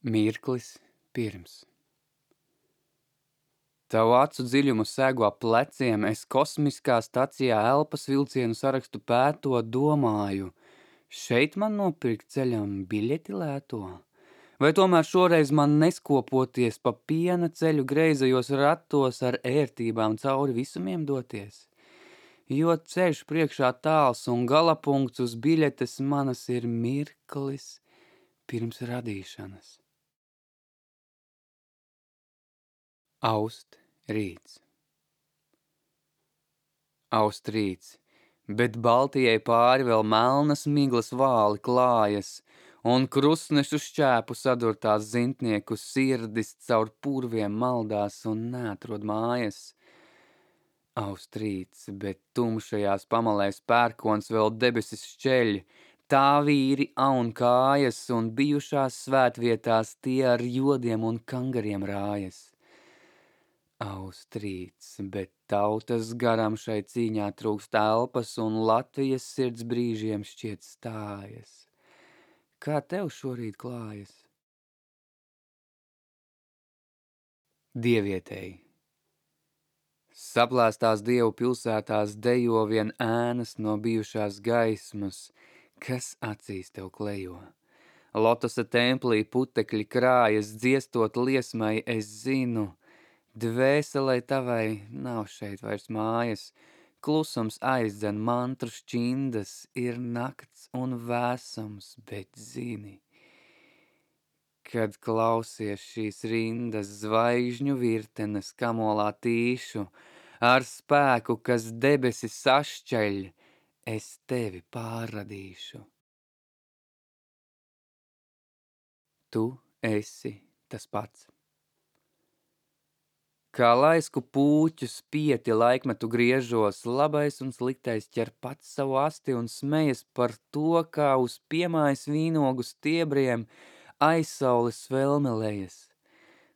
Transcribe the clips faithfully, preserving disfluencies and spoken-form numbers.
Mirklis pirms. Tavu acu dziļumu segu ap pleciem, es kosmiskā stacijā elpas vilcienu sarakstu pēto, domāju, šeit man nopirkt ceļam biļeti lēto? Vai tomēr šoreiz man neskopoties pa piena ceļu greizajos ratos ar ērtībām cauri visumiem doties? Jo ceļš priekšā tāls un galapunkts uz biļetes manas ir mirklis pirms radīšanas. Aust rīts. Aust rīts, bet Baltijai pāri vēl melnas miglas vāli klājas, un krustnešu šķēpu sadurtās zintnieku sirdis caur purviem maldās un neatrod mājas. Aust rīts, bet tumšajās pamalēs pērkons vēl debesis šķeļ, tā vīri aun kājas, un bijušās svētvietās tie ar jodiem un kangariem rājas. Aust rīts, bet tautas garam šai cīņā trūkst elpas, un Latvijas sirds brīžiem šķiet stājas. Kā tev šorīt klājas? Dievietei. Saplēstās dievu pilsētās dejo vien ēnas no bijušās gaismas, kas acīs tev klejo. Lotosa templī putekļi krājas, dziestot liesmai, es zinu, dvēselei tavai nav šeit vairs mājas, klusums aizdzen mantru šķindas, ir nakts un vēsums, bet zini, kad klausies šīs rindas zvaigžņu virtenes kamolā tīšu, ar spēku, kas debesis sašķeļ, es tevi pārradīšu. Tu esi tas pats. Kā laisku pūķu spieti laikmetu griežos, labais un sliktais ķer pats savu asti un smejas par to, kā uz piemājas vīnogu stiebriem aizsaules svelmelējas.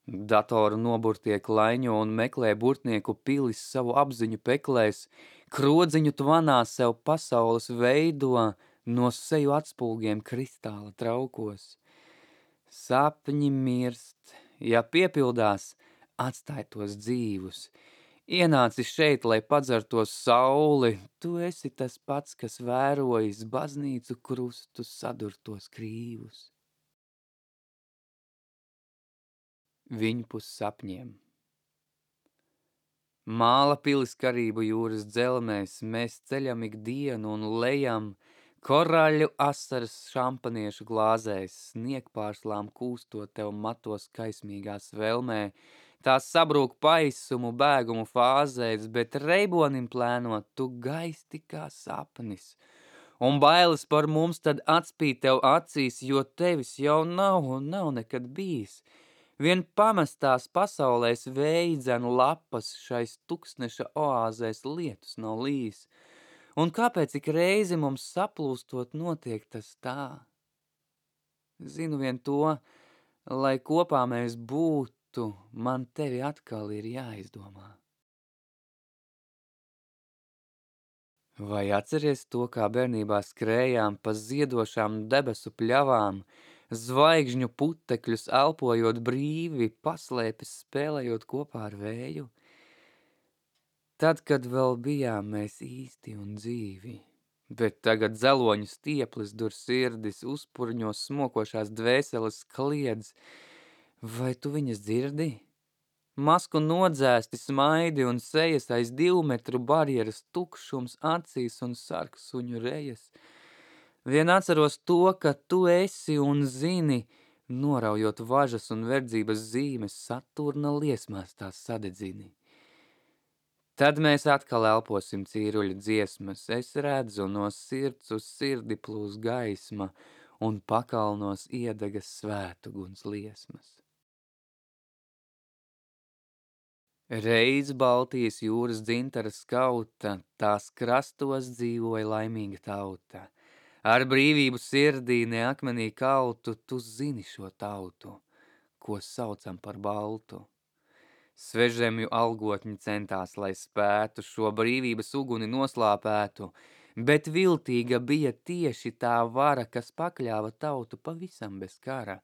Datoru noburtie klaiņo un meklē burtnieku pilis savu apziņu peklēs, krodziņu tvanā sev pasaules veido, no seju atspulgiem kristāla traukos. Sapņi mirst, ja piepildās, atstāj tos dzīvus. Ienāci šeit, lai padzertos sauli, tu esi tas pats, kas vērojis baznīcu krustu sadurtos krīvus. Viņpus sapņiem. Māla pilis karību jūras dzelmēs, mēs ceļam ikdienu un lejam, koraļu asaras šampaniešu glāzēs, sniegpārslām kūstot tev matos kaismīgās velmē, tās sabrūk paisumu, bēgumu fāzēs, bet reibonim plēnot tu gaisti kā sapnis. Un bailes par mums tad atspīd tev acīs, jo tevis jau nav un nav nekad bijis. Vien pamestās pasaulēs veidzen lapas, šais tuksneša oāzēs lietus nav līs. Un kāpēc ik reizi mums saplūstot notiek tas tā? Zinu vien to, lai kopā mēs būtu, man tevi atkal ir jāizdomā. Vai atceries to, kā bērnībā skrējām pa ziedošām debesu pļavām, zvaigžņu putekļus elpojot brīvi, paslēpis spēlējot kopā ar vēju? Tad, kad vēl bijām mēs īsti un dzīvi, bet tagad zeloņu stieplis dur sirdis, uzpurņos smokošās dvēseles kliedz, vai tu viņas dzirdi? Masku nodzēsti smaidi un sejas aiz divu metru barjeras, tukšums acīs un sarksuņu rejas. Vien atceros to, ka tu esi un zini, noraujot važas un verdzības zīmes, Saturna liesmās tās sadedzini. Tad mēs atkal elposim cīruļu dziesmas, es redzu no sirds uz sirdi plūs gaisma un pakalnos iedegas svētuguns liesmas. Reiz Baltijas jūras dzintara skauta, tās krastos dzīvoja laimīga tauta. Ar brīvību sirdī ne akmenī kautu, tu zini šo tautu, ko saucam par baltu. Svežemju algotņi centās, lai spētu šo brīvības uguni noslāpētu, bet viltīga bija tieši tā vara, kas pakļāva tautu pavisam bez kara.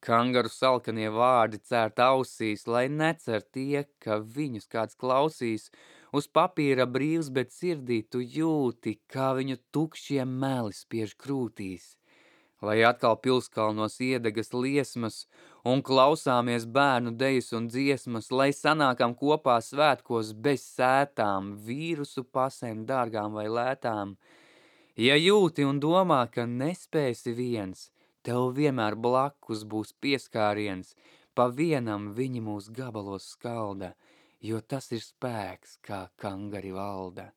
Kangaru salkanie vārdi cērt ausīs, lai necer tie, ka viņus kāds klausīs. Uz papīra brīvs, bet sirdī tu jūti, kā viņu tukšie meli spiež krūtīs. Lai atkal pilskalnos iedegas liesmas un klausāmies bērnu dejas un dziesmas, lai sanākam kopā svētkos bez sētām, vīrusu pasēm dārgām vai lētām. Ja jūti un domā, ka nespēsi viens, tev vienmēr blakus būs pieskāriens, pa vienam viņi mūs gabalos skalda, jo tas ir spēks, kā kangari valda.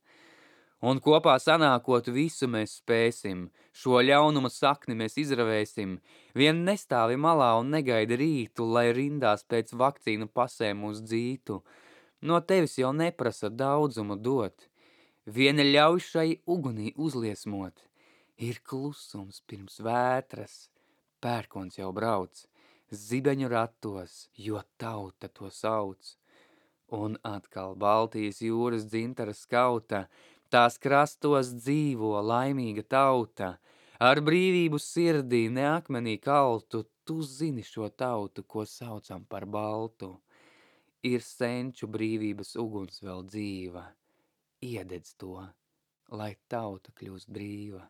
Un kopā sanākot visu mēs spēsim, šo ļaunuma sakni mēs izravēsim, vien nestāvi malā un negaidi rītu, lai rindās pēc vakcīnu pasēm mūs dzītu. No tevis jau neprasa daudzumu dot, viena ļauj šai ugunī uzliesmot. Ir klusums pirms vētras, pērkons jau brauc, zibeņu ratos, jo tauta to sauc. Un atkal Baltijas jūras dzintara skauta, tās krastos dzīvo laimīga tauta. Ar brīvību sirdī ne akmenī kaltu, tu zini šo tautu, ko saucam par baltu. Ir senču brīvības uguns vēl dzīva, iededz to, lai tauta kļūst brīva.